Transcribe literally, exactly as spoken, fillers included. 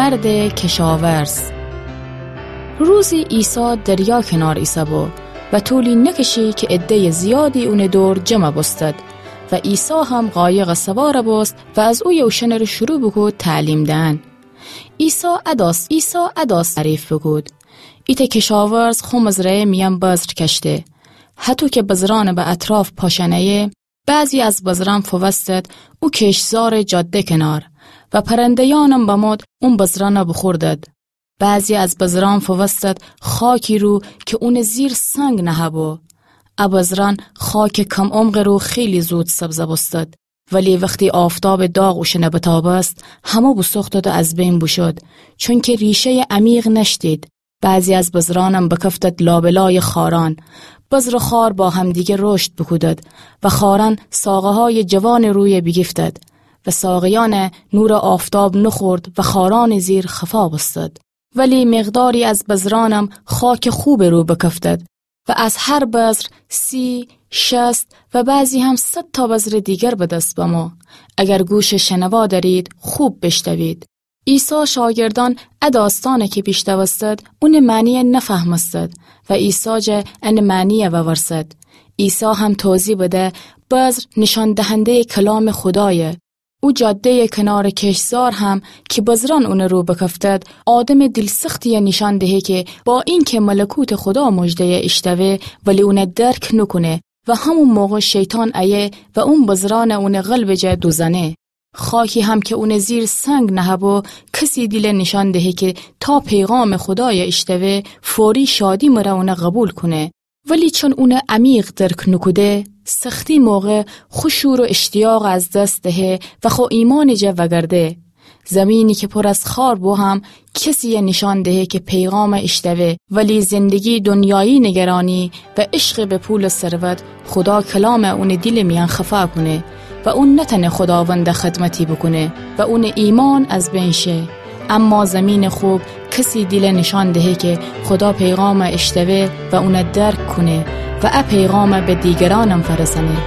مردٚ کشاورز. روزی عیسی دریا کنار ایسه‌بو و طولی نکشی کی عده‌یٚ زیادی اونٚ دور جمع بوستد و عیسی هم قایقٚ سوار بوست و از اویه اوشأنٚره شروع بوکود تعلیم دئن. عیسی اداس، عیسی اداس تعریف بوکود: ایتأ کشاورز خو مزرعه‌یٚ میأن بذر کشته. هطو کی بذرأن به اطراف پاشأنه‌یه، بعضی از بذرأن فووستد او کشتزارٚ جاده کنار و پرنده‌یأنم بمود اون بذرأن بوخوردد. بعضی از بذرأن فووستد خاکی رو کی اونٚ زیر سنگ نهه‌بو. ا بذرأن خاکٚ کم‌عمقٚ رو خیلی زود سبز بوستد، ولی وختی آفتابٚ داغ اوشأن بتابست، همه بوسوختد و از بین بوشد، چونکی ریشه‌یٚ عمیق نأشتید. بعضی از بذرأنم بکفتد لابه‌لایٚ خارأن. بذر و خار با همدیگر رشد بوکودد و خارأن ساقه‌هایٚ جوانٚ رویه بیگیفتد و ساقه‌یأن نورٚ آفتاب نوخورد و خارأنٚ زیر خفا بوستد. ولی مقداری از بذرأنم خاکٚ خوبٚ رو بکفتد و از هر بذر سی، شصت و بعضی هم صد تا بذرٚ دیگر به دس بمو. اگر گوشٚ شنوا دأرید، خوب بیشنوید. عیسی شاگردأن ا داستأن کی بیشنوستد، اونٚ معنی نفهمستد و عیسی جا انٚ معنی وورسد. عیسی هم توضیح بده: بذر نیشأن دهنده‌یٚ کلامٚ خودایه. او جاده‌یٚ کنارٚ کشتزار هم کی بذرأن اونٚ رو بکفتد، آدمٚ دیل‌سختی‌یه نیشأن دهه کی با اینکی ملکوتٚ خودا مژده‌یه ایشنوه، ولی اون درک نوکونه و همون موقع شیطان ایه و اون بذرأن اونٚ قلبٚ جا دوزأنه. خاکی هم کی اونٚ زیر سنگ نهه‌بو، کسی دیله نیشأن دهه کی تا پیغامٚ خودایه ایشنوه، فوری شادی مره اونه قوبیل کونه. ولی چون اونه عمیق درک نوکوده، سختی موقع خو شور و اشتیاق از دس دهه و خو ایمانٚ جا وگرده. زمینی کی پر از خار بو هم کسی‌یه نیشأن دهه کی پیغام ایشنوه، ولی زندگی دنیایی نگرانی و عشقٚ به پول و ثروت خودا کلام اونٚ دیلٚ میأن خفا کونه و اون نتأنه خوداوند خدمتی بوکونه و اونٚ ایمان از بین شه. اما زمینٚ خوب کسی دیله نیشأن دهه کی خودا پیغام ایشنوه و اون درک کونه و ا پیغام به دیگرأنم فرسأنه.